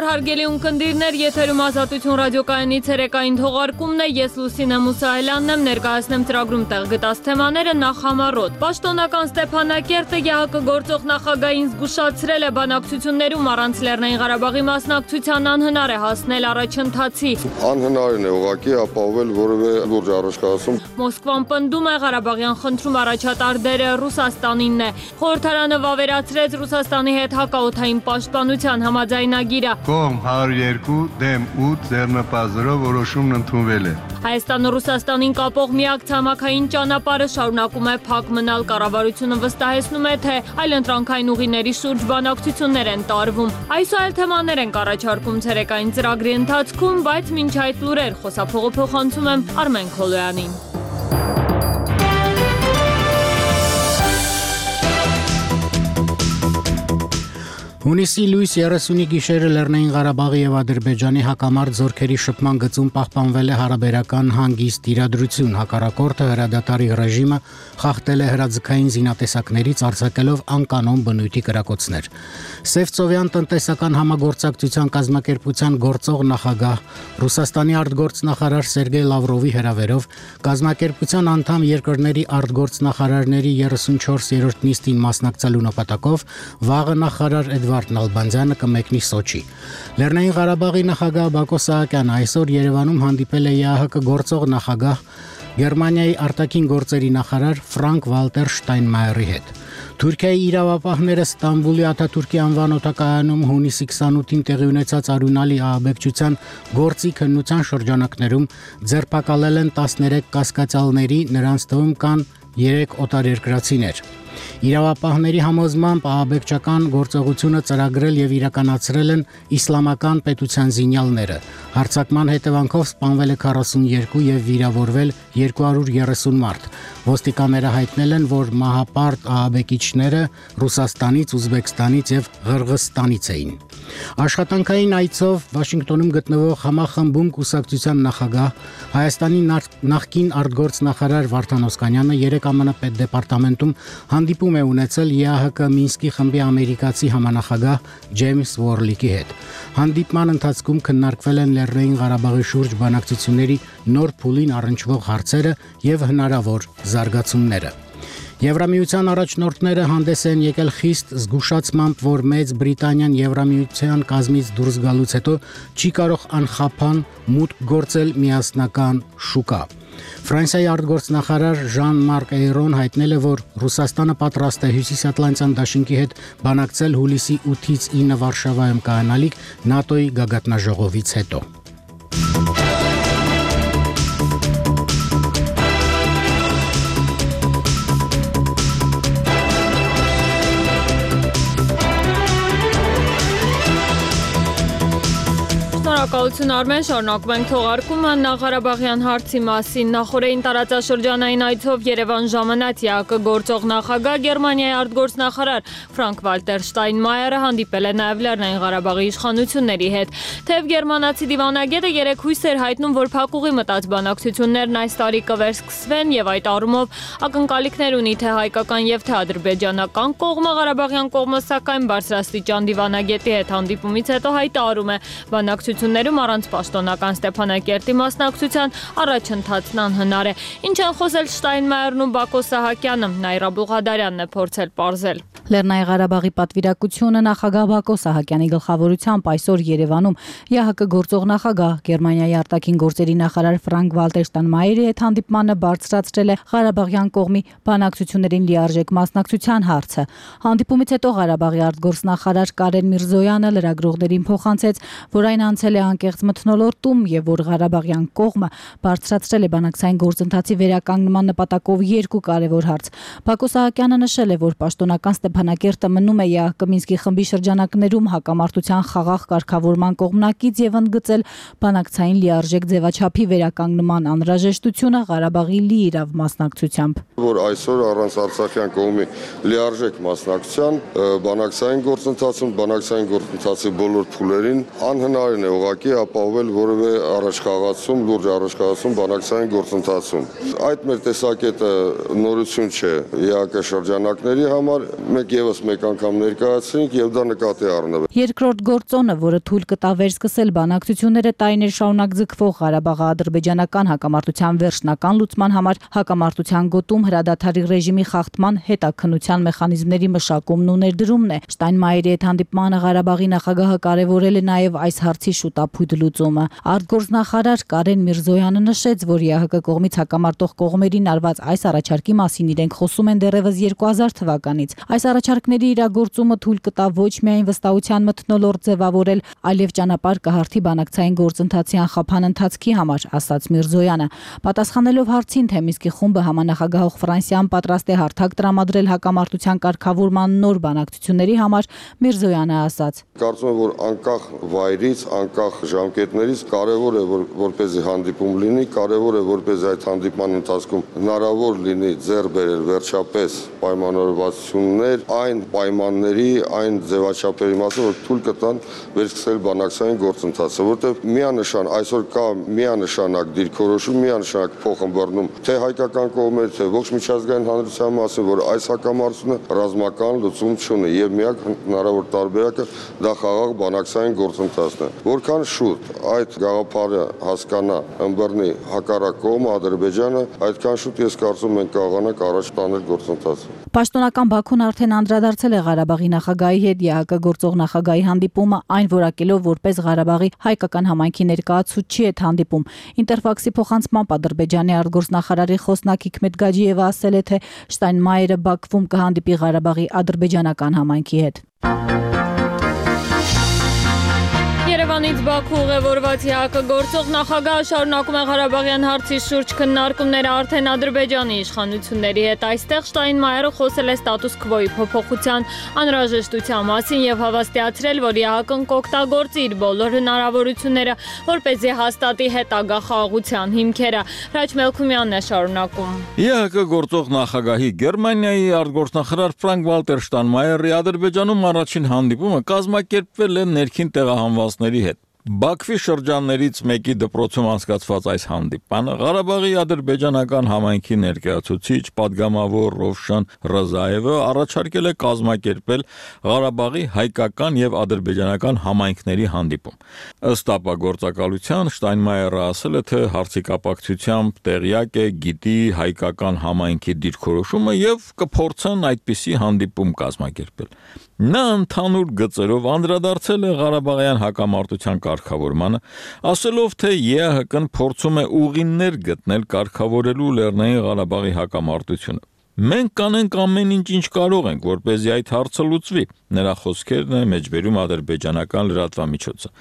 Օր հարգելի ունկնդիրներ, եթերում Ազատություն ռադիոկայանի ցերեկային թողարկումն է, ես Լուսինե Մուսայելյանն եմ, ներկայացնեմ ծրագրում տեղ գտած թեմաները նախ համառոտ։ Պաշտոնական Ստեփանակերտը ԵԱՀԿ գործող նախագահին զգուշացրել է բանակցություններում առանց Լեռնային Ղարաբաղի մասնակցության անհնար է հասնել առաջընթացի։ Անհնարին է ուղղակի ապահովել որևէ լուրջ առաջխաղացում։ Մոսկվան պնդում է Ղարաբաղյան խնդրում առաջատար դերը Ռուսաստանինն է։ Խորհրդարանը վավերացրեց Ռուսաստանի հետ հակաօդային պաշտպանության համաձայնագիրը։ Կողմ 102 դեմ 8 ձեռնպազրով որոշումն ընդունվել է։ Հայաստանը Ռուսաստանին կապող միակ ցամաքային ճանապարհը շարունակում է փակ մնալ։ Կառավարությունը վստահեցնում է, թե այլընտրանքային ուղիների շուրջ բանակցություններ են տարվում։ Այս այլ թեմաներ են առաջարկում ցերեկային ծրագրի ընթացքում, բայց մինչ այդ լուրեր խոսափողը փոխանցում եմ Արմեն Քոլոյանին։ Հունիսի լույս 30-ի գիշերը Լեռնային Ղարաբաղի եւ Ադրբեջանի հակամարտ զորքերի շփման գծում պահպանվել է հարաբերական հանգիստ իրադրություն։ Հակառակորդը հրադադարի ռեժիմը խախտել է հրաձգային զինատեսակներից արձակելով անկանոն բնույթի կրակոցներ։ Սևծովյան տնտեսական համագործակցության կազմակերպության գործող նախագահ Ռուսաստանի արտգործնախարար Սերգեյ Լավրովի հրավերով կազմակերպության անդամ երկրների արտգործնախարարների 34-րդ նիստին մասնակցելու նպատակով վաղը նախարար Էդվարդ Նալբանդյանը կմեկնի Սոչի։ Լեռնային Ղարաբաղի նախագահ Բակո Սահակյանը այսօր Երևանում հանդիպել է ԵԱՀԿ գործող նախագահ Գերմանիայի արտաքին գործերի նախարար Ֆրանկ Վալտեր Շտայնմայերի հետ։ Թուրքիայի իրավապահները Ստամբուլի Աթաթուրքի անվան օդակայանում հունիսի 28-ին տեղի ունեցած արյունալի ահաբեկչության գործի քննության շրջանակներում ձերբակալել են 13 կասկածյալների, նրանց թվում կան 3 օտարերկրացիներ։ Իրավապահների համոզմամբ ահաբեկչական գործողությունը ծրագրել եւ իրականացրել են իսլամական պետության զինյալները։ Հարձակման հետևանքով սպանվել է 42 եւ վիրավորվել 230 մարդ։ Ոստիկանները հայտնել են, որ մահապարտ ահաբեկիչները Ռուսաստանից, Ուզբեկստանից եւ Ղրղզստանից էին։ Աշխատանքային այցով Վաշինգտոնում գտնվող համախմբում կուսակցության նախագահ Հայաստանի նախկին արտգործնախարար Վարդան Օսկանյանը 3 ԱՄՆ պետդեպարտամենտում հանդիպում է ունեցել ԵԱՀԿ Մինսկի խմբի ամերիկացի համանախագահ Ջեյմս Վորլիկի հետ։ Հանդիպման ընթացքում քննարկվել են Լեռնային Ղարաբաղի շուրջ բանակցությունների նոր փուլին առնչվող հարցերը եւ հնարավոր զարգացումները։ Եվրամիության առաջնորդները հանդես են եկել խիստ զգուշացմամբ, որ Մեծ Բրիտանիան Եվրամիության կազմից դուրս գալուց հետո չի կարող անխափան մուտք գործել միասնական շուկա։ Ֆրանսիայի արտգործնախարար Ժան-Մարկ Էյրոն հայտնել է, որ Ռուսաստանը պատրաստ է Հյուսիսատլանտյան դաշինքի հետ բանակցել հուլիսի 8-ից 9 Վարշավայում կայանալիք ՆԱՏՕ-ի գագաթնաժողովից հետո։ Շնորհակալություն Արմեն, շարունակում ենք թողարկումը Ղարաբաղյան հարցի մասին։ Նախորդին տարածաշրջանային այցով Երևան ժամանած ԵԱՀԿ գործող նախագահ Գերմանիայի արտգործնախարար Ֆրանկ Վալտեր Շտայնմայերը հանդիպել է նաև Լեռնային Ղարաբաղի իշխանությունների հետ։ Թեև գերմանացի դիվանագետը երեկ հույս էր հայտնում, որ փակուղի մտած բանակցություններն այս տարի կվերսկսվեն եւ այդ առումով ակնկալիքներ ունի թե հայկական եւ թե ադրբեջանական կողմը։ Ղարաբաղյան կողմը սակայն բարձրաստիճան դիվանագետի հետ հանդիպումից հետո հայտարարում է բանակցություններում առանց պաշտոնական Ստեփանակերտի մասնակցության առաջընթացն անհնար է։ Ինչ են խոսել Շտայնմայերն ու Բակո Սահակյանը, Նաիրա Բուղադարյանն է փորձել պարզել։ Լեռնային Ղարաբաղի պատվիրակությունը նախագահ Բակո Սահակյանի գլխավորությամբ այսօր Երևանում ԵԱՀԿ գործող նախագահ Գերմանիայի արտաքին գործերի նախարար Ֆրանկ Վալտեր Շտայնմայերի հետ հանդիպմանը բարձրացրել է Ղարաբաղյան կողմի բանակցություններին լիարժեք մասնակցության հարցը։ Հանդիպումից հետո Ղարաբաղի արտգործնախարար Կարեն Միրզոյանը լրագրողներին փոխանցեց, որ այն անցել է անկեղծ մթնոլորտում եւ որ Ղարաբաղյան կողմը բարձրացրել է բանակցային գործընթացի վերականգնման նպատակով երկու կարևոր հարց։ Բակո Սահակյանը նշել է, որ պաշտոնական Ստեփանակերտը մնում է ԵԱՀԿ Մինսկի խմբի շրջանակներում հակամարտության խաղաղ կարգավորման կողմնակից եւ ընդգծել բանակցային լիարժեք ձևաչափի վերականգնման անհրաժեշտությունը Ղարաբաղի լիիրավ մասնակցությամբ։ Որ այսօր առանց Արցախյան կողմի լիարժեք մասնակցության բանակցային գործընթացի բոլոր փուլերին անհնարին է ուղղակի ուղղակի ապահովել որևէ առաջխաղացում, լուրջ առաջխաղացում բանակցային գործընթացում։ Այդ մեր տեսակետը նորություն չէ ԵԱԿ շրջանակների համար, մենք եւս մեկ անգամ ներկայացրինք եւ դա նկատի առնվեց։ Երկրորդ գործոնը, որը թույլ կտա վերսկսել բանակցությունները տարիներ շարունակ ձգվող Ղարաբաղի ադրբեջանական հակամարտության վերջնական լուծման համար հակամարտության գոտում հրադադարի ռեժիմի խախտման հետաքննության մեխանիզմների մշակումն ու ներդրումն է։ Շտայնմայերի հետ հանդիպմանը Ղարաբաղի նախագահը կարևորել է նաև այս հարցի շուտափույթ լուծումը։ Արտգործնախարար Կարեն Միրզոյանը նշեց, որ ԵԱՀԿ կողմից հակամարտող կողմերին արված այս առաջարկի մասին իրենք խոսում են դեռևս 2000 թվականից։ Այս առաջարկների իրագործումը թույլ կտա ոչ միայն վստահության մթնոլորտ ձևավորել, այլև ճանապարհ կհարթի բանակցային գործընթացի անխափան ընթացքի համար, ասաց Միրզոյանը։ Պատասխանելով հարցին, թե Մինսկի խումբը համանախագահող Ֆրանսիան պատրաստ է հարթակ տրամադրել հակամարտության կարգավորման նոր բանակցությունների համար, Միրզոյանը ասաց. Կարծում եմ, որ անկախ վայրից, անկախ ժամկետներից կարևոր է, որպեսզի հանդիպում լինի, կարևոր է, որպեսզի այդ հանդիպման ընթացքում հնարավոր լինի ձեռք բերել վերջապես պայմանավորվածություններ այն պայմանների, այն ձևաչափերի մասին, որ թույլ կտան վերսկսել բանակցային գործընթացը, որտեղ միանշան այսօր կա միանշանակ դիրքորոշում, միանշանակ փոխըմբռնում թե հայկական կողմերը, թե ողջ միջազգային հանրության մասին, որ այս հակամարտությունը ռազմական լուծում չունի եւ միակ հնարավոր տարբերակը դա խաղաղ բանակցային գործընթացն է։ Որքան շուտ այդ գաղափարը հասկանա, ըմբռնի հակառակ կողմը Ադրբեջանը, այդքան շուտ ես կարծում ենք կարողանանք առաջ տանել գործընթացը։ Պաշտոնական Բաքուն արդեն անդրադարձել է Ղարաբաղի նախագահի հետ ԵԱՀԿ գործող նախագահի հանդիպումը, այն որակելով որպես Ղարաբաղի հայկական համայնքի ներկայացուցիչ հետ հանդիպում։ Ինտերֆաքսի փոխանցմամբ Ադրբեջանի արտգործնախարարի խոսնակ Հիքմետ Գաջիևը ասել է, թե Շտայնմայերը Բաքվում կհանդիպի Ղարաբաղի ադրբեջանական համայնքի հետ։ Երևանից Բաքու ուղևորված ԵԱՀԿ գործող նախագահը շարունակում է Ղարաբաղյան հարցի շուրջ քննարկումները արդեն Ադրբեջանի իշխանությունների հետ։ Այստեղ Շտայնմայերը խոսել է ստատուս քվոյի փոփոխության անհրաժեշտության մասին եւ հավաստիացրել, որ ԵԱՀԿ-ն կօգտագործի իր բոլոր հնարավորությունները, որպեսզի հաստատի հետագա խաղաղության հիմքերը։ Հրաչ Մելքումյանն է շարունակում։ ԵԱՀԿ գործող նախագահի Գերմանիայի արտգործնախարար Ֆրանկ Վալտեր Շտայնմայերի Ադրբեջանում առաջին հանդիպումը կազմակերպվել է ներքին տեղահանվածների հետ։ Բաքվի շրջաններից մեկի դպրոցում անցկացված այս հանդիպանը Ղարաբաղի ադրբեջանական համայնքի ներկայացուցիչ падգամավոր Ռովշան Ռզաևը առաջարկել է կազմակերպել Ղարաբաղի հայկական եւ ադրբեջանական համայնքների հանդիպում։ Ըստ ապագործակալության Շտայնմայերը ասել է, թե հարցի կապակցությամբ տեղյակ է, գիտի հայկական համայնքի դիրքորոշումը եւ կփորձեն այդպիսի հանդիպում կազմակերպել։ Նա ընդհանուր գծերով անդրադարձել է Ղարաբաղյան հակամարտության կարգավորմանը, ասելով, թե ԵԱՀԿ-ն փորձում է ուղիներ գտնել կարգավորելու Լեռնային Ղարաբաղի հակամարտությունը։ Մենք կանենք ամեն ինչ կարող ենք, որպեսզի այդ հարցը լուծվի։ Նրա խոսքերն է մեջբերում ադրբեջանական լրատվամիջոցը։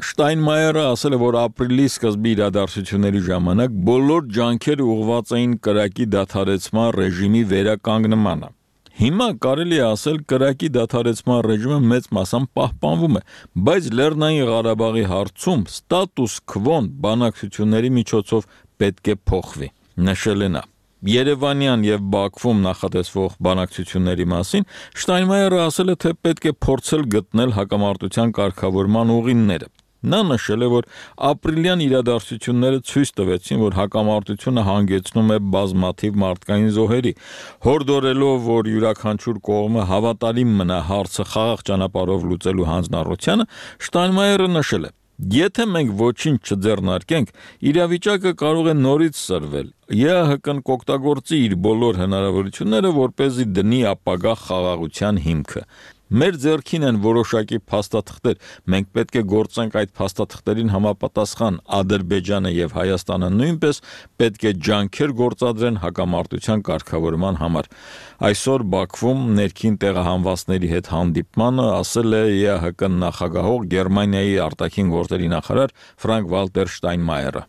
Շտայնմայերը ասել է, որ ապրիլի սկզբի իրադարձությունների ժամանակ բոլոր ջանքերը ուղղված էին կրակի դադարեցման ռեժիմի վերականգնմանը։ Հիմա կարելի է ասել կրակի դադարեցման ռեժիմը մեծ մասամբ պահպանվում է, բայց Լեռնային Ղարաբաղի հարցում ստատուս քվոն բանակցությունների միջոցով պետք է փոխվի, նշել է նա։ Երևանյան եւ Բաքվում նախատեսվող բանակցությունների մասին Շտայնմայերը ասել է, թե պետք է փորձել գտնել հակամարտության կարգավորման ուղիները։ Նա նշել է, որ ապրիլյան իրադարձությունները ցույց տվեցին, որ հակամարտությունը հանգեցնում է բազմաթիվ մարդկային զոհերի, հորդորելով, որ յուրաքանչյուր կողմը հավատալի մնա հարցը խաղաղ ճանապարհով լուծելու հանձնառությանը, Շտայնմայերը նշել է. Եթե մենք ոչինչ չձեռնարկենք, իրավիճակը կարող է նորից սրվել։ ԵԱՀԿ-ն կօգտագործի իր բոլոր հնարավորությունները, որպեսզի դնի ապագա խաղաղության հիմքը։ Մեր ձեռքին են որոշակի փաստաթղթեր, մենք պետք է գործենք այդ փաստաթղթերին համապատասխան։ Ադրբեջանը եւ Հայաստանը նույնպես պետք է ջանքեր գործադրեն հակամարտության կարգավորման համար։ Այսօր Բաքվում ներքին տեղահանվածների հետ հանդիպմանը ասել է ԵԱՀԿ նախագահող Գերմանիայի արտաքին գործերի նախարար Ֆրանկ Վալտեր Շտայնմայերը։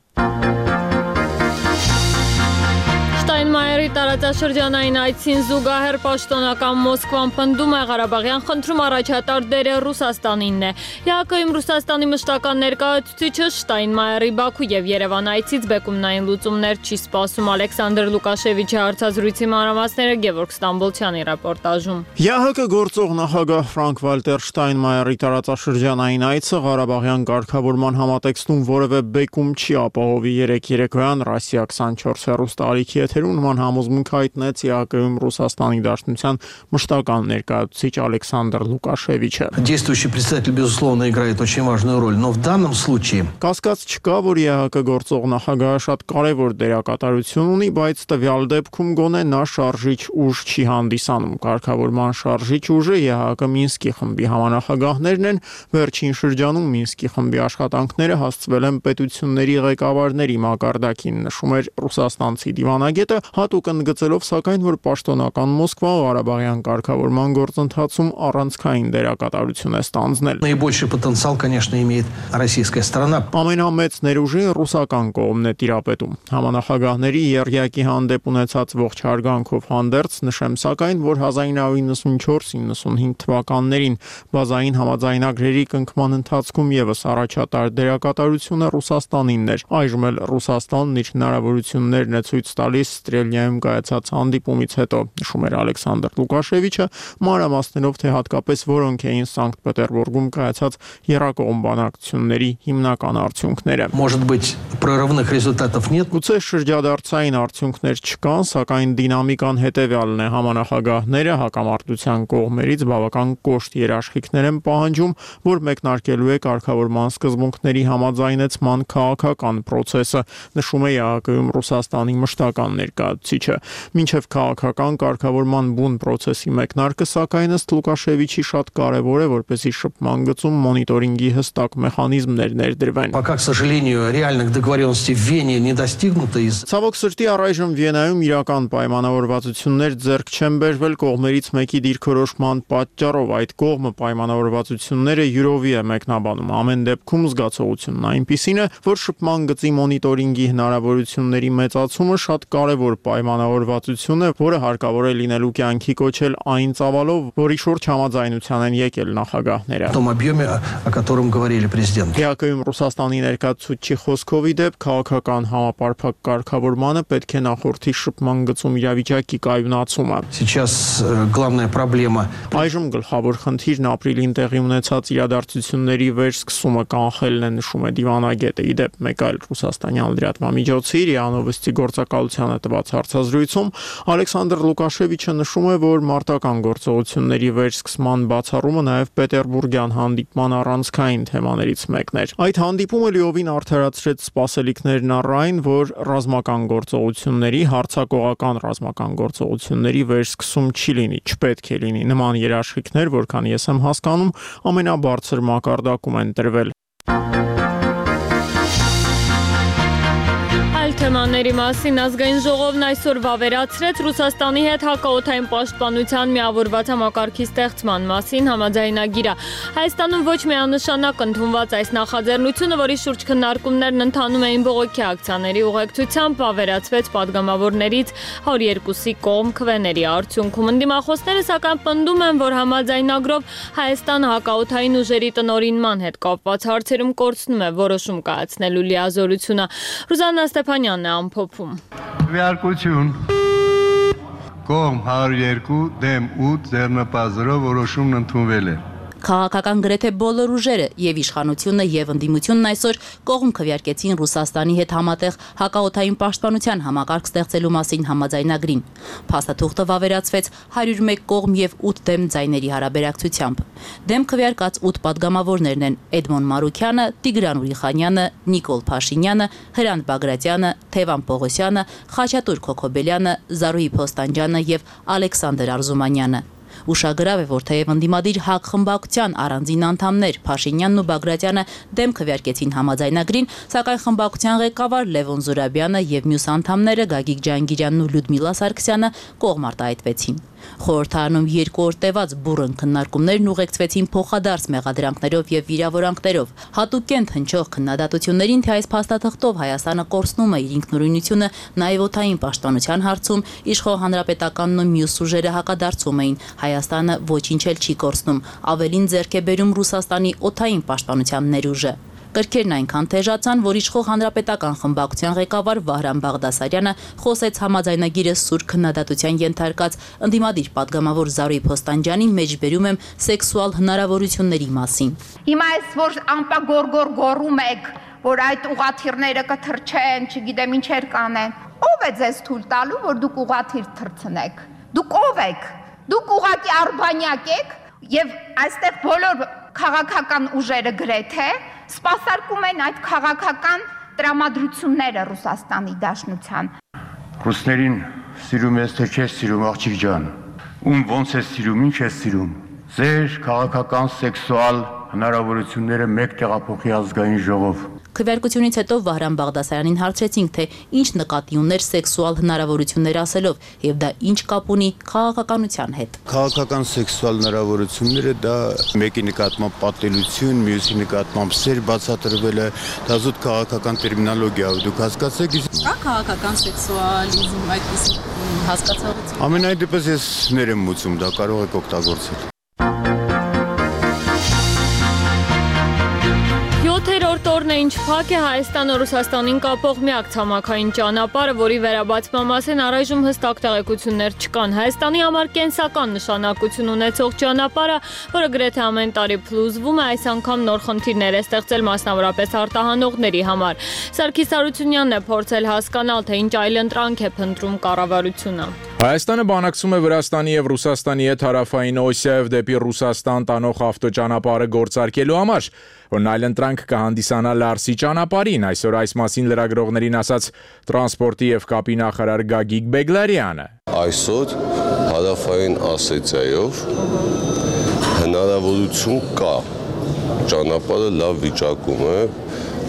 Շտայնմայերի Մայրի տարածաշրջանային այցին զուգահեռ պաշտոնական Մոսկվան պնդում է Ղարաբաղյան խնդրում առաջատար դերը Ռուսաստանինն է։ ԵԱՀԿ-ում Ռուսաստանի մշտական ներկայացուցիչը Շտայնմայերի Բաքու եւ Երևան այցից բեկումնային լուծումներ չի սպասում։ Ալեքսանդր Լուկաշևիչի հարցազրույցի մանրամասները Գևորգ Ստամբոլցյանի ռեպորտաժում։ ԵԱՀԿ գործող նախագահ Ֆրանկ-Վալտեր Շտայնմայերի տարածաշրջանային այցը Ղարաբաղյան կարգավորման համատեքստում որևէ բեկում չի ապահովի։ Երեկոյան Ռասիա 24 հեռուստաալիքի եթերում նման համոզմունք հայտնեց ԵԱՀԿ-ում Ռուսաստանի Դաշնության մշտական ներկայացուցիչ Ալեքսանդր Լուկաշևիչը։ Действующий председатель, безусловно, играет очень важную роль, но в данном случае Կասկած չկա, որ ԵԱՀԿ գործող նախագահը շատ կարևոր դերակատարություն ունի, բայց տվյալ դեպքում գոնե նա շարժիչ ուժ չի հանդիսանում։ Կարգավորման շարժիչ ուժը ԵԱՀԿ Մինսկի խմբի համանախագահներն են։ Վերջին շրջանում Մինսկի խմբի աշխատանքները հասցվել են պետությունների ղեկավարների մակարդակին, նշում էր ռուսաստանցի դիվանագետը, հատուկ ընդգծելով սակայն, որ պաշտոնական Մոսկվա Ղարաբաղյան կարգավորման գործընթացում առանցքային դերակատարություն է ստանձնել։ наибольший потенциал, конечно, имеет российская сторона. Ամենամեծ ներուժին ռուսական կողմն է տիրապետում։ Համանախագահների եռյակի հանդեպ ունեցած ողջ հարգանքով հանդերձ նշեմ սակայն, որ 1994-95 թվականներին բազային համաձայնագրերի կնքման ընթացքում եւս առաջատար դերակատարությունը Ռուսաստանինն էր։ Այժմ էլ Ռուսաստանն իր հնարավորություններն է ցույց տալիս Ստրելնիայում կայացած հանդիպումից հետո, նշում էր Ալեքսանդր Լուկաշևիչը, մանրամասներով թե հատկապես որոնք էին Սանկտ Պետերբուրգում կայացած եռակողմ բանակցությունների հիմնական արդյունքները։ Может быть, прорывных результатов нет. Գուցե շրջադարձային արդյունքներ չկան, սակայն դինամիկան հետևյալն է. համանախագահները հակամարտության կողմերից բավական կոշտ երաշխիքներ են պահանջում, որ մեկնարկելու է կարգավորման սկզբունքների համաձայնեցման քաղաքական process-ը, նշում է ԵԱՀԿ-ում Ռուսաստանի մշտական ներկայացուցիչը։ Մինչև քաղաքական կարգավորման բուն process-ի մեկնարկը, սակայն ըստ Լուկաշևիչի շատ կարևոր է, որպեսզի շփման գծում մոնիտորինգի հստակ մեխանիզմներ ներդրվեն։ Пока, к сожалению, реальных договоренностей в Вене не достигнуто из Ցավոք սրտի առայժմ Վիենայում իրական պայմանավորվածություններ ձեռք չեն բերվել կողմերից մեկի դիրքորոշման պատճառով։ Այդ կողմը պայմանավորվածությունները յուրովի է մեկնաբանում։ Ամեն դեպքում զգացողությունն այնպիսին է, որ շփման գծի մոնիտորինգի հնարավորությունների մեծացումը շատ կարևոր պայմանավորվածություն է, որը հարկավոր է լինելու կյանքի կոչել այն ծավալով, որի շուրջ համաձայնության են եկել նախագահները։ в том объеме, о котором говорили президенты. ԵԱՀԿ-ում Ռուսաստանի ներկայացուցիչի խոսքով իդեպ քաղաքական համապարփակ կարգավորմանը պետք է նախորդի շփման գծում իրավիճակի կայունացումը։ Сейчас главная проблема Այժմ գլխավոր խնդիրն ապրիլին տեղի ունեցած իրադարձությունների վերսկսումը կանխելն է, նշում է դիվանագետը։ Իդեպ մեկ այլ ռուսաստանյան լրատվամիջոցի ՌԻԱ Նովոստի գործակալությանը տված հարցազրույցում Ալեքսանդր Լուկաշևիչը նշում է, որ մարտական գործողությունների վերսկսման բացառումը նաև պետերբուրգյան հանդիպման առանցքային թեմաներից մեկն էր։ Այդ հանդիպումը լիովին արդարացրեց սպասելիքներն առ այն, որ ռազմական գործողությունների, հարձակողական ռազմական գործողությունների վերսկսում չի լինի, չպետք է լինի։ Նման երաշխիքներ, որքան ես եմ հասկանում, ամենաբարձր մակարդակում են տրվել։ Թեմաների մասին ազգային ժողովն այսօր վավերացրեց Ռուսաստանի հետ հակաօդային պաշտպանության միավորված համակարգի ստեղծման մասին համաձայնագիրը։ Հայաստանում ոչ միանշանակ ընդունված այս նախաձեռնությունը, որի շուրջ քննարկումներն ընթանում էին բողոքի ակցիաների ուղեկցությամբ, վավերացվեց պատգամավորներից 102-ի կողմ քվեների արդյունքում։ Ընդդիմախոսները սակայն պնդում են, որ համաձայնագրով Հայաստանը հակաօդային ուժերի տնօրինման հետ կապված հարցերում կորցնում է որոշում կայացնելու լիազորությունը։ Ռուզաննա Ստեփանյանն է ամփոփում։ Քվեարկություն կողմ 102 դեմ 8 ձեռնպազրով որոշումն ընդունվել է։ Քաղաքական գրեթե բոլոր ուժերը եւ իշխանությունը եւ ընդդիմությունն այսօր կողմ քվեարկեցին Ռուսաստանի հետ համատեղ հակաօդային պաշտպանության համակարգ ստեղծելու մասին համաձայնագրին։ Փաստաթուղթը վավերացվեց 101 կողմ եւ 8 դեմ ձայների հարաբերակցությամբ։ Դեմ քվեարկած 8 падգամավորներն են Էդմոն Մարուքյանը, Տիգրան Ուրիխանյանը, Նիկոլ Փաշինյանը, Հրանտ Բագրատյանը, Թևան Պողոսյանը, Խաչատուր Քոքոբելյանը, Զարուհի Փոստանջյանը եւ Ալեքսանդր Արզումանյանը։ Ուշագրավ է, որ թեև ընդդիմադիր ՀԱԿ խմբակցության առանձին անդամներ Փաշինյանն ու Բագրատյանը դեմ քվեարկեցին համաձայնագրին, սակայն խմբակցության ղեկավար Լևոն Զուրաբյանը եւ մյուս անդամները Գագիկ Ջանգիրյանն ու Լյուդմիլա Սարգսյանը կողմ արտահայտվեցին։ Խորհրդարանում 2 օր տևած բուռն քննարկումներն ուղեկցվեցին փոխադարձ մեղադրանքներով եւ վիրավորանքներով։ Հատուկենտ հնչող քննադատություններին, թե այս փաստաթղթով Հայաստանը կորցնում է իր ինքնուրույնությունը նաեւ օդային պաշտպանության հարցում, իշխող հանրապետականն ու մյուս ուժերը հակադարձում էին։ Հայաստանը ոչինչ էլ չի կորցնում, ավելին ձեռք է բերում Ռուսաստանի օդային պաշտպանության ներուժը։ Կրքերն այնքան թեժացան, որ իշխող հանրապետական խմբակցության ղեկավար Վահրամ Բաղդասարյանը խոսեց համաձայնագիրը սուր քննադատության ենթարկած ընդդիմադիր падգամավոր Զարուհի Փոստանջյանի մեջբերում եմ սեքսուալ հնարավորությունների մասին։ Հիմա այս որ ամպագորգոր գոռում եք, որ այդ ուղաթիռները կթռչեն, չգիտեմ ինչեր կանեն։ Ո՞վ է ձեզ թույլ տալու, որ դուք ուղաթիռ թռցնեք։ Դուք ո՞վ եք։ Դուք ուղղակի արբանյակ եք եւ այստեղ բոլոր քաղաքական ուժերը գրեթե սպասարկում են այդ քաղաքական տրամադրությունները Ռուսաստանի Դաշնության։ Ռուսներին սիրում ես թե չես սիրում, աղջիկ ջան։ Ում ոնց ես սիրում, ինչ ես սիրում։ Ձեր քաղաքական սեքսուալ հնարավորությունները մեկ տեղափոխի ազգային ժողով։ Քվեարկությունից հետո Վահրամ Բաղդասարյանին հարցրեցինք, թե ինչ նկատի ուներ սեքսուալ հնարավորություններ ասելով եւ դա ինչ կապ ունի քաղաքականության հետ։ Քաղաքական սեքսուալ հնարավորությունները դա մեկի նկատմամբ պատելություն, մյուսի նկատմամբ սեր բացատրվելը, դա զուտ քաղաքական տերմինոլոգիա է, դուք հասկացեք։ Կա քաղաքական սեքսուալիզմ այդպես հասկացողություն։ Ամենայն դեպս ես ներեմ մուծում, դա կարող եք օգտագործել։ 7-րդ օրն է ինչ փակ է Հայաստանը Ռուսաստանին կապող միակ ցամաքային ճանապարհը, որի վերաբացման մասին առայժմ հստակ տեղեկություններ չկան։ Հայաստանի համար կենսական նշանակություն ունեցող ճանապարհը, որը գրեթե ամեն տարի փլուզվում է, այս անգամ նոր խնդիրներ է ստեղծել մասնավորապես արտահանողների համար։ Սարգիս Հարությունյանն է փորձել հասկանալ, թե ինչ այլընտրանք է փնտրում կառավարությունը։ Հայաստանը բանակցում է Վրաստանի եւ Ռուսաստանի հետ հարավային Օսիայով դեպի Ռուսաստան տանող ավտոճանապարհը գործարկելու համար, որն այլընտրանք կհանդիսանա Լարսի ճանապարհին, այսօր այս մասին լրագրողներին ասաց տրանսպորտի եւ կապի նախարար Գագիկ Բեգլարյանը։ Այսօր հարավային Ասիայով հնարավորություն կա, ճանապարհը լավ վիճակում է,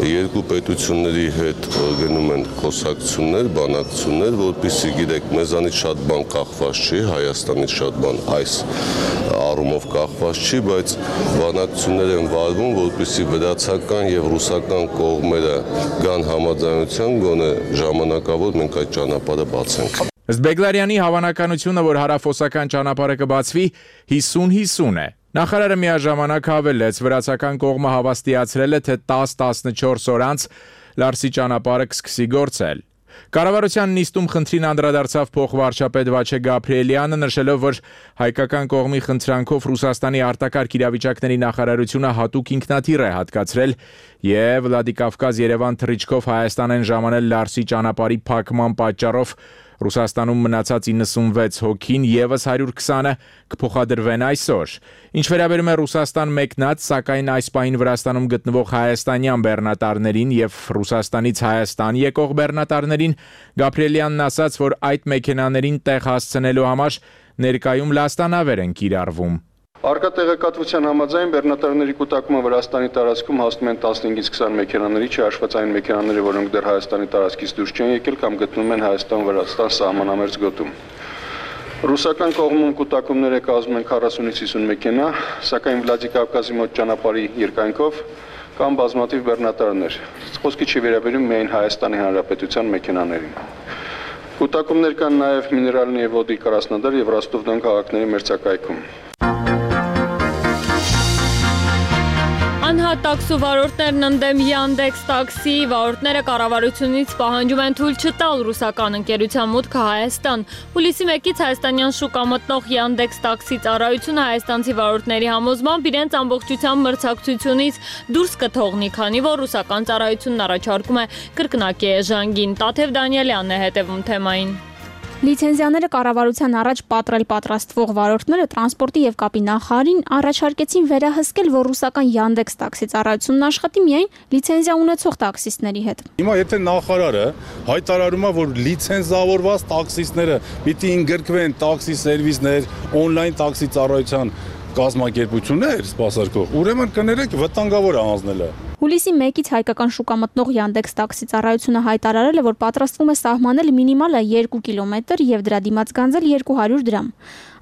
երկու պետությունների հետ գնում են խոսակցություններ, բանակցություններ, որպեսզի գիտեք, մեզանից շատ բան կախված չի, Հայաստանից շատ բան այս առումով կախված չի, բայց բանակցություններ են վարվում, որպեսզի վրացական եւ ռուսական կողմերը գան համաձայնության, գոնե ժամանակավոր մենք այդ ճանապարհը բացենք։ Ըստ Բեգլարյանի հավանականությունը, որ հարավոսական ճանապարհը կբացվի 50-50 է։ Նախարարը միաժամանակ հավելեց, վրացական կողմը հավաստիացրել է, թե 10-14 օր անց Լարսի ճանապարհը կսկսի գործել։ Կառավարության նիստում խնդրին անդրադարձավ փոխվարչապետ Վաչե Գաբրիելյանը, նշելով, որ հայկական կողմի խնդրանքով Ռուսաստանի արտակարգ իրավիճակների նախարարությունը հատուկ ինքնաթիռ է հատկացրել եւ Վլադիկավկազ-Երևան թռիչքով Հայաստան են ժամանել Լարսի ճանապարհի փակման պատճառով Ռուսաստանում մնացած 96 հոգին եւս 120-ը կփոխադրվեն այսօր։ Ինչ վերաբերում է Ռուսաստան մեկնած, սակայն այս պահին Վրաստանում գտնվող հայաստանյան բեռնատարներին եւ Ռուսաստանից Հայաստան եկող բեռնատարներին, Գաբրիելյանն ասաց, որ այդ մեքենաներին տեղ հասցնելու համար ներկայում լաստանավեր են կիրառվում։ Արկա տեղեկատվության համաձայն բեռնատարների կուտակումը Վրաստանի տարածքում հասնում են 15-ից 20 մեքենաների, չհաշված այն մեքենաները, որոնք դեռ Հայաստանի տարածքից դուրս չեն եկել կամ գտնվում են Հայաստան-Վրաստան սահմանամերձ գոտում։ Ռուսական կողմում կուտակումները կազմում են 40-ից 50 մեքենա, սակայն Վլադիկավկազի մոտ ճանապարհի երկայնքով կան բազմաթիվ բեռնատարներ։ Խոսքը չի վերաբերում միայն Հայաստանի Հանրապետության մեքենաներին։ Կուտակումներ կան նաև Միներալնի եւ Ոդի Կրասնոդար եւ Ռոստով-Դոն քաղաքների մերձակայքում։ Անհատ տաքսու վարորդներն ընդդեմ Yandex Taxi վարորդները կառավարությունից պահանջում են թույլ չտալ ռուսական ընկերության մուտքը Հայաստան։ Հուլիսի 1-ից հայաստանյան շուկա մտնող Yandex Taxi ծառայությունը հայաստանցի վարորդների համոզմամբ իրենց ամբողջությամբ մրցակցությունից դուրս կթողնի, քանի որ ռուսական ծառայությունն առաջարկում է կրկնակի էժանգին։ Տաթև Դանիելյանն է հետևում թեմային։ Լիցենզիաները կառավարության առաջ պատրաստվող վարորդները տրանսպորտի եւ կապի նախարարին առաջարկեցին վերահսկել, որ ռուսական Yandex Taxi ծառայությունն աշխատի միայն լիցենզիա ունեցող տաքսիստների հետ։ Հիմա եթե նախարարը հայտարարում է, որ լիցենզավորված տաքսիստները պիտի ընդգրկվեն տաքսի սերվիսներ, օնլայն տաքսի ծառայության կազմակերպություններ սպասարկող, ուրեմն կներեք վտանգավոր է հանձնելը։ Հուլիսի 1-ից հայկական շուկա մտնող Yandex տաքսի ծառայությունը հայտարարել է, որ պատրաստվում է սահմանել մինիմալը 2 կիլոմետր եւ դրա դիմաց գանձել 200 դրամ։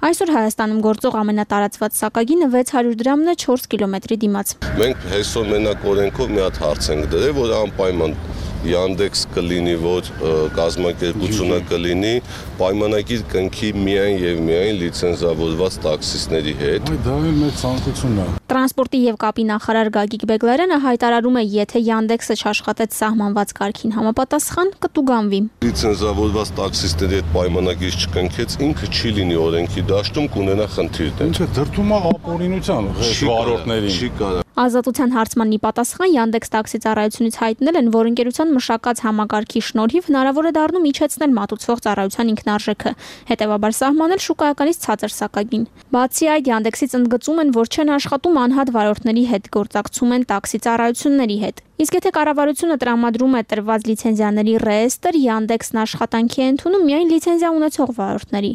Այսօր Հայաստանում գործող ամենատարածված սակագինը 600 դրամն է 4 կիլոմետրի դիմաց։ Մենք այսօր մենակ օրենքով մի հատ հարց ենք դրել, որ անպայման Yandex կլինի, որ կազմակերպությունը կլինի պայմանագիր կնքի միայն եւ միայն լիցենզավորված տաքսիստների հետ։ Դա էլ մեծ ցանկությունն է։ Տրանսպորտի եւ կապի նախարար Գագիկ Բեգլարյանը հայտարարում է, եթե Yandex-ը չաշխատեց սահմանված կարգին համապատասխան, կտուգանվի։ Լիցենզավորված տաքսիստների հետ պայմանագիր չկնքեց, ինքը չի լինի օրենքի դաշտում, կունենա խնդիրներ։ Ինչը դրդում է ապօրինության վարորդներին։ Չի կարող։ Ազատության հարցմանի պատասխան Yandex տաքսի ծառայությունից հայտնել են, որ ընկերության մշակած համակարգի շնորհիվ հնարավոր է դառնում իջեցնել մատուցվող ծառայության ինքնարժեքը, հետևաբար սահմանել շուկայականից ցածր սակագին։ Բացի այդ, Yandex-ից ընդգծում են, որ չեն աշխատում անհատ վարորդների հետ, գործակցում են տաքսի ծառայությունների հետ։ Իսկ եթե կառավարությունը տրամադրում է տրված լիցենզիաների ռեեստր, Yandex-ն աշխատանքի է ընդունում միայն լիցենզիա ունեցող վարորդների։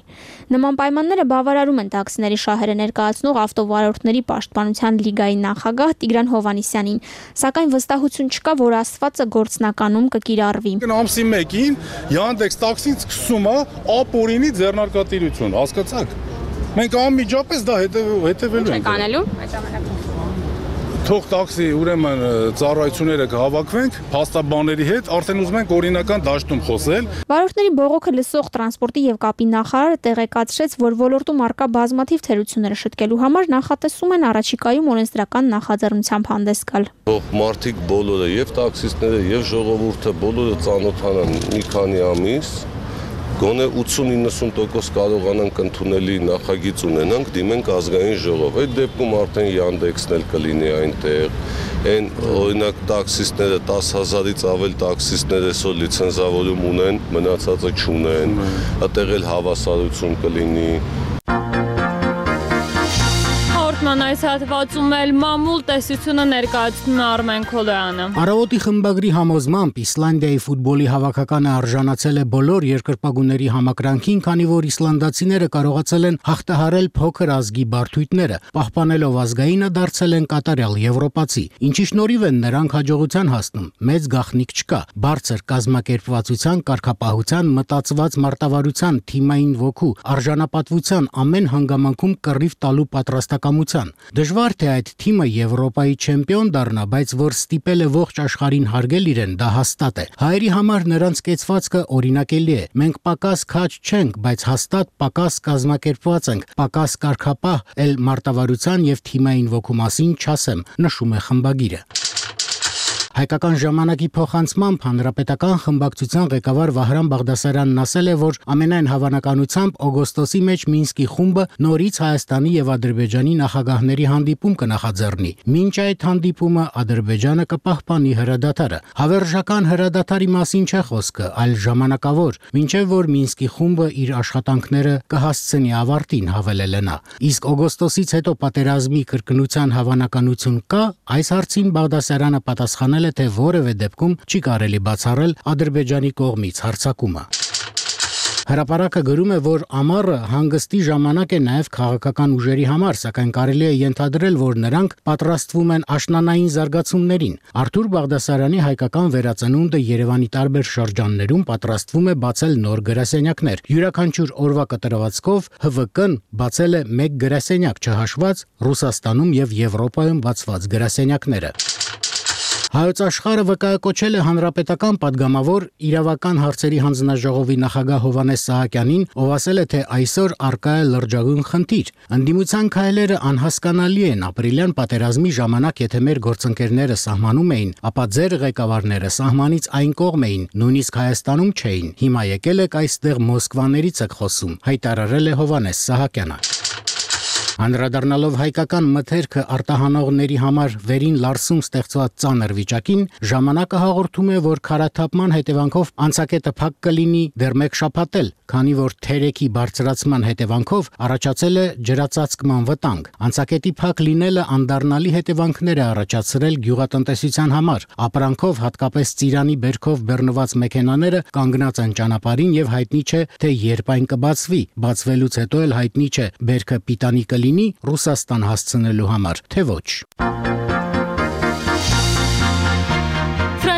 Նման պայմանները բավարարում են տաքսիների շահերը ներկայացնող ավտովարորդների պաշտպանության լիգայի նախագահ Տիգրան Հովհաննիսյանին, սակայն վստահություն չկա, որ ասվածը գործնականում կկիրառվի։ Ամսի 1-ին Yandex տաքսին սկսում է ապօրինի ձեռնարկատիրություն, հասկացաք։ Մենք անմիջապես դա հետևելու ենք։ Կանելու։ Թող տաքսի ուրեմն ծառայությունները կհավաքվենք փաստաբանների հետ, արդեն ուզում ենք օրինական դաշտում խոսել։ Վարորդների բողոքը լսող տրանսպորտի եւ կապի նախարարը տեղեկացրեց, որ ոլորտում առկա բազմաթիվ թերությունները շտկելու համար նախատեսում են առաջիկայում օրենսդրական նախաձեռնությամբ հանդես գալ։ Թող մարդիկ բոլորը, եւ տաքսիստները, եւ ժողովուրդը բոլորը ծանոթանան մի քանի ամիս, գոնե 80-90% կարողանանք ընդունելի նախագիծ ունենանք, դիմենք ազգային ժողով։ Այդ դեպքում արդեն Yandex-ն էլ կլինի այնտեղ։ Այն օրինակ տաքսիստները 10,000-ից ավել տաքսիստներ այսօր լիցենզավորում ունեն, մնացածը չունեն։ Այդտեղ էլ հավասարություն կլինի։ Այս հատվածում էլ մամուլ տեսությունը ներկայացնում է Արմեն Քոլոյանը։ Առավոտի խմբագրի համոզմամբ Իսլանդիայի ֆուտբոլի հավաքականը արժանացել է բոլոր երկրպագուների համակրանքին, քանի որ իսլանդացիները կարողացել են հաղթահարել փոքր ազգի բարդույթները, պահպանելով ազգայինը դարձել են կատարյալ եվրոպացի, ինչի շնորհիվ են նրանք հաջողության հասնում։ Մեծ գաղտնիք չկա, բարձր կազմակերպվածության, կարգապահության, մտածված մարտավարության, թիմային ոգու, արժանապատվության ամեն հանգամանքում կռիվ տալու պատրաստակամության։ Դժվար թե այդ թիմը Եվրոպայի չեմպիոն դառնա, բայց որ ստիպել է ողջ աշխարհին հարգել իրեն, դա հաստատ է։ Հայերի համար նրանց կեցվածքը օրինակելի է։ Մենք պակաս քաջ չենք, բայց հաստատ պակաս կազմակերպված ենք, պակաս կարգապահ, էլ մարտավարության եւ թիմային ոգու մասին չասեմ, նշում է խմբագիրը։ Հայկական ժամանակի փոխանցմամբ հանրապետական խմբակցության ղեկավար Վահրամ Բաղդասարյանն ասել է, որ ամենայն հավանականությամբ օգոստոսի մեջ Մինսկի խումբը նորից Հայաստանի եւ Ադրբեջանի նախագահների հանդիպում կնախաձեռնի։ Մինչ այդ հանդիպումը Ադրբեջանը կպահպանի հրադադարը։ Հավերժական հրադադարի մասին չէ խոսքը, այլ ժամանակավոր, մինչև որ Մինսկի խումբը իր աշխատանքները կհասցնի ավարտին, հավելել է նա։ Իսկ օգոստոսից հետո պատերազմի կրկնության հավանականություն կա, այս հարցին Բաղդասարյանը պատասխանել է, թե որևէ դեպքում չի կարելի բացառել Ադրբեջանի կողմից հարձակումը։ Հրապարակը գրում է, որ ամառը հանգստի ժամանակ է նաև քաղաքական ուժերի համար, սակայն կարելի է ենթադրել, որ նրանք պատրաստվում են աշնանային զարգացումներին։ Արթուր Բաղդասարյանի հայկական վերածնունդը Երևանի տարբեր շրջաններում պատրաստվում է բացել նոր գրասենյակներ։ Յուրաքանչյուր օրվա կտրվածքով ՀՎԿ-ն բացել է 1 գրասենյակ, չհաշված Ռուսաստանում եւ Եվրոպայում բացված գրասենյակները։ Հայոց աշխարհը վկայակոչել է հանրապետական падգամավոր իրավական հարցերի հանձնաժողովի նախագահ Հովհաննես Սահակյանին, ով ասել է, թե այսօր առկա է լրջագույն խնդիր։ Ընդդիմության քայլերը անհասկանալի են, ապրիլյան պատերազմի ժամանակ եթե մեր գործընկերները սահմանում էին, ապա ձեր ղեկավարները սահմանից այն կողմ էին, նույնիսկ Հայաստանում չէին։ Հիմա եկել եք այստեղ Մոսկվաներից եք խոսում, հայտարարել է Հովհաննես Սահակյանը։ Անդրադառնալով հայկական մթերքը արտահանողների համար վերին լարսում ստեղծված ծանր վիճակին, ժամանակը հաղորդում է, որ քարաթափման հետևանքով անցակետը փակ կլինի դեռ 1 շաբաթ էլ, քանի որ թերեքի բարձրացման հետևանքով առաջացել է ջրածածկման վտանգ։ Անցակետի փակ լինելը անդառնալի հետևանքներ է առաջացրել գյուղատնտեսության համար։ Ապրանքով, հատկապես ծիրանի բերքով բեռնված մեքենաները կանգնած են ճանապարհին եւ հայտնի չէ, թե երբ այն կբացվի։ Բացվելուց հետո էլ հայտնի չէ, բերքը պիտանի կլինի կլինի Ռուսաստան հասցնելու համար, թե ոչ։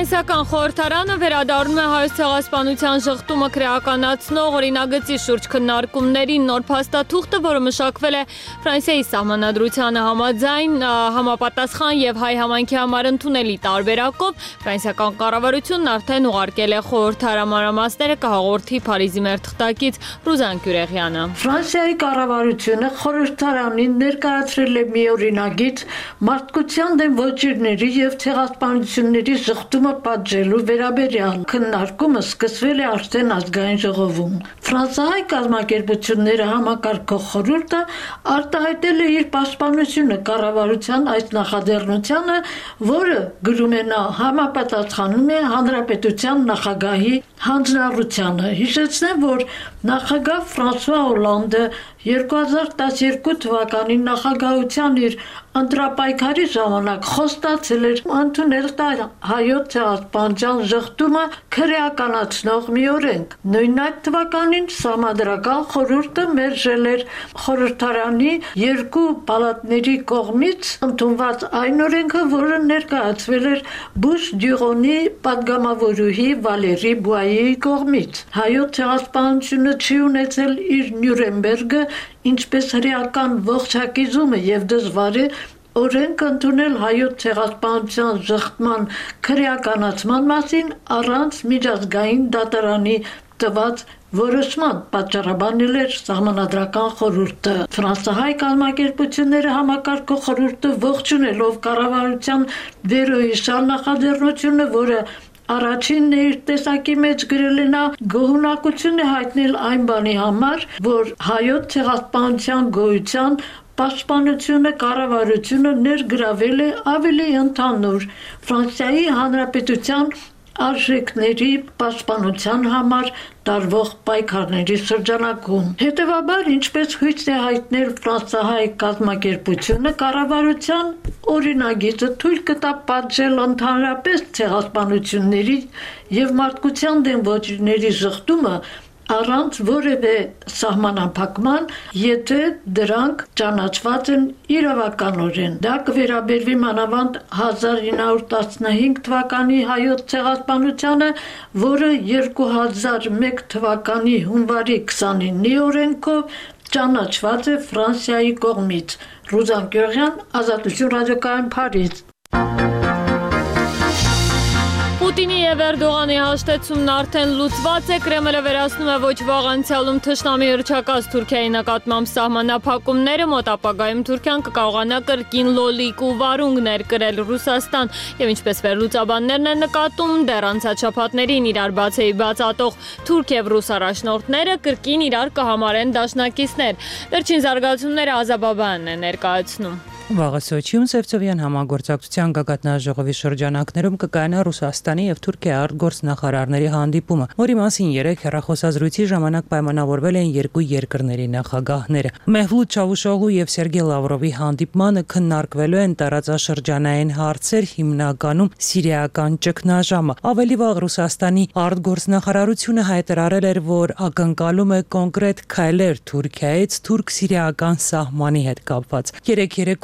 Ֆրանսիական խորհրդարանը վերադառնում է Հայոց ցեղասպանության ժխտումը քրեականացնող օրինագծի շուրջ քննարկումներին նոր փաստաթուղթը, որը մշակվել է Ֆրանսիայի սահմանադրությանը համաձայն համապատասխան եւ հայ համայնքի համար ընդունելի տարբերակով ֆրանսիական կառավարությունն արդեն ուղարկել է խորհրդարամարամասները կհաղորդի Փարիզի մեր թղթակից Ռուզան Գյուրեգյանը։ Ֆրանսիայի կառավարությունը խորհրդարանին ներկայացրել է մի օրինագիծ մարդկության դեմ ոճիրների եւ ցեղասպանությունների ժխտումը պատժելու վերաբերյալ քննարկումը սկսվել է արդեն ազգային ժողովում։ Ֆրանսիայի կազմակերպությունները համակարգող խորհուրդը արտահայտել է իր պաշտպանությունը կառավարության այս նախաձեռնությանը, որը գրում է նա համապատասխանում է հանրապետության նախագահի հանձնառությանը։ Հիշեցնեմ, որ նախագահ Ֆրանսուଆ Օլանդը 2012 թվականի նախագահության իր ընտրապայքարի ժամանակ խոստացել էր ընդունել հայոց ցեղասպանության ժխտումը քրեականացնող մի օրենք։ Նույն այդ թվականին Սահմանադրական խորհուրդը մերժել էր խորհրդարանի երկու պալատների կողմից ընդունված այն օրենքը, որը ներկայացվել էր Բուշ Դյուղոնի պատգամավորուհի Վալերի Բուայեի կողմից։ Հայոց ցեղասպանությունը չի ունեցել իր Նյուրնբերգը, ինչպես հրեական ողջակիզումը եւ դժվար է օրենք ընդունել հայոց ցեղասպանության ժխտման քրեականացման մասին առանց միջազգային դատարանի տված որոշման, պատճառաբանել էր Սահմանադրական խորհուրդը։ Ֆրանսահայ կազմակերպությունները համակարգող խորհուրդը ողջունելով կառավարության վերոհիշյալ նախաձեռնությունը, որը առաջինն իր տեսակի մեջ գրել է նա, գոհունակություն է հայտնել այն բանի համար, որ հայոց ցեղասպանության գոյության պաշտպանությունը կառավարությունը ներգրավել է ավելի ընդհանուր Ֆրանսիայի Հանրապետության արժեքների պաշտպանության համար տարվող պայքարների շրջանակում։ Հետևաբար, ինչպես հույս է հայտնել ֆրանսահայ կազմակերպությունը, կառավարության օրինագիծը թույլ կտա պատժել ընդհանրապես ցեղասպանությունների եւ մարդկության դեմ ոճիրների ժխտումը առանց որևէ սահմանափակման, եթե դրանք ճանաչված են իրավականորեն։ Դա կվերաբերվի մանավանդ 1915 թվականի հայոց ցեղասպանությանը, որը 2001 թվականի հունվարի 29-ի օրենքով ճանաչված է Ֆրանսիայի կողմից։ Ռուզան Գյուրեգյան, Ազատություն ռադիոկայան, Փարիզ։ Պուտինի եւ Էրդողանի հաշտեցումն արդեն լուծված է, Կրեմլը վերացնում է ոչ վաղ անցյալում թշնամի հռչակած Թուրքիայի նկատմամբ սահմանափակումները, մոտ ապագայում Թուրքիան կկարողանա կրկին լոլիկ ու վարունգներ կրել Ռուսաստան եւ ինչպես վերլուծաբաններն են նկատում, դեռ անցած շաբաթներին իրար բացեի բացատող թուրք եւ ռուս առաջնորդները կրկին իրար կհամարեն դաշնակիցներ։ Վերջին զարգացումները Ազաբաբյանն է ներկայացնում։ Վաղը Սոչիում Սևծովյան համագործակցության գագաթնաժողովի շրջանակներում կկայանա Ռուսաստանի եւ Թուրքիայի արտգործնախարարների հանդիպումը, որի մասին 3 հեռախոսազրույցի ժամանակ պայմանավորվել են երկու երկրների նախագահները։ Մեհլութ Չավուշօղլու եւ Սերգեյ Լավրովի հանդիպմանը քննարկվելու են տարածաշրջանային հարցեր, հիմնականում սիրիական ճգնաժամը։ Ավելի վաղ Ռուսաստանի արտգործնախարարությունը հայտարարել էր, որ ակնկալում է կոնկրետ քայլեր Թուրքիայից թուրք-սիրիական սահմանի հետ կապված։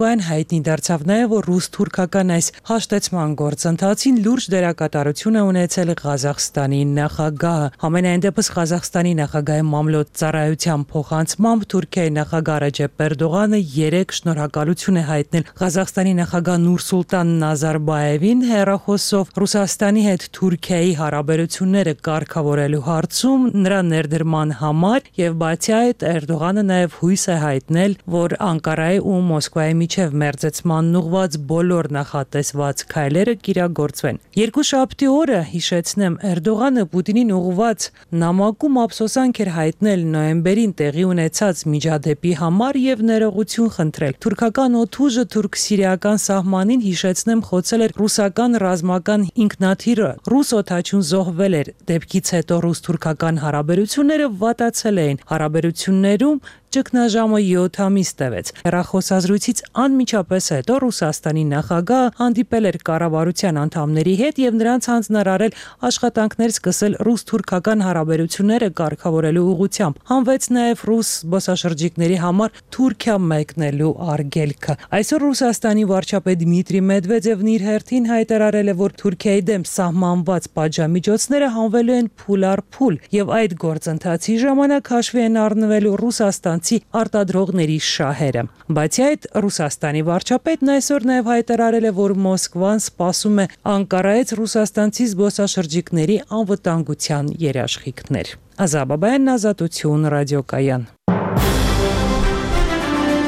Երեկոյան հայտնի դարձավ նաև, որ ռուս-թուրքական այս հաշտեցման գործընթացին լուրջ դերակատարություն է ունեցել Ղազախստանի նախագահը։ Համենայն դեպս Ղազախստանի նախագահի մամլոյ ծառայության փոխանցմամբ Թուրքիայի նախագահ Ռեջեփ Էրդողանը 3 շնորհակալություն է հայտնել Ղազախստանի նախագահ Նուրսուլտան Նազարբաևին հեռախոսով Ռուսաստանի հետ Թուրքիայի հարաբերությունները կարգավորելու հարցում նրա ներդրման համար եւ բացի այդ Էրդողանը նաև հույս է հայտնել, որ Անկարայի ու Մոսկվայի միջև մերձեցման ուղղված բոլոր նախատեսված քայլերը կիրագործվեն։ Երկուշաբթի օրը, հիշեցնեմ, Էրդողանը Պուտինին ուղղված նամակում ափսոսանք էր հայտնել նոյեմբերին տեղի ունեցած միջադեպի համար եւ ներողություն խնդրել։ Թուրքական օդուժը թուրք-սիրիական սահմանին, հիշեցնեմ, խոցել էր ռուսական ռազմական ինքնաթիռը։ Ռուս օդաչուն զոհվել էր։ Դեպքից հետո ռուս-թուրքական հարաբերությունները վատացել էին։ Հարաբերություններում ճգնաժամը 7 ամիս տևեց։ Հեռախոսազրույցից անմիջապես հետո Ռուսաստանի նախագահը հանդիպել էր կառավարության անդամների հետ եւ նրանց հանձնարարել աշխատանքներ սկսել ռուս-թուրքական հարաբերությունները կարգավորելու ուղղությամբ։ Հանվեց նաեւ ռուս զբոսաշրջիկների համար Թուրքիա մեկնելու արգելքը։ Այսօր Ռուսաստանի վարչապետ Դմիտրի Մեդվեդևն իր հերթին հայտարարել է, որ Թուրքիայի դեմ սահմանված պատժամիջոցները հանվելու են փուլ առ փուլ եւ այդ գործընթացի ժամանակ հաշվի են առնվելու ռուսաստանցի արտադրողների շահերը։ Բացի այդ, Ռուսաստանի վարչապետն այսօր նաեւ հայտարարել է, որ Մոսկվան սպասում է Անկարայից ռուսաստանցի զբոսաշրջիկների անվտանգության երաշխիքներ։ Ազաբաբայան, Ազատություն, ռադիոկայան։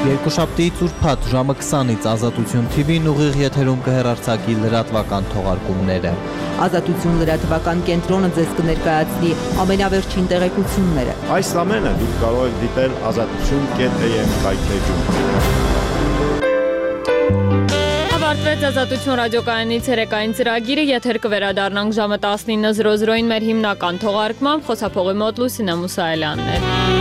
Երկուշաբթի ուրբաթ ժամը 20-ից Ազատություն TV-ն ուղիղ եթերում կհեռարձակի լրատվական թողարկումները։ Ազատություն լրատվական կենտրոնը ձեզ կներկայացնի ամենավերջին տեղեկությունները։ Այս ամենը դուք կարող եք դիտել azatutun.am կայքէջում։ Ավարտվեց Ազատություն ռադիոկայանի ցերեկային ծրագիրը, եթեր կվերադառնանք ժամը 19:00-ին մեր հիմնական թողարկմամբ, խոսափողի մոտ Լուսինե Մուսայելյանն էր։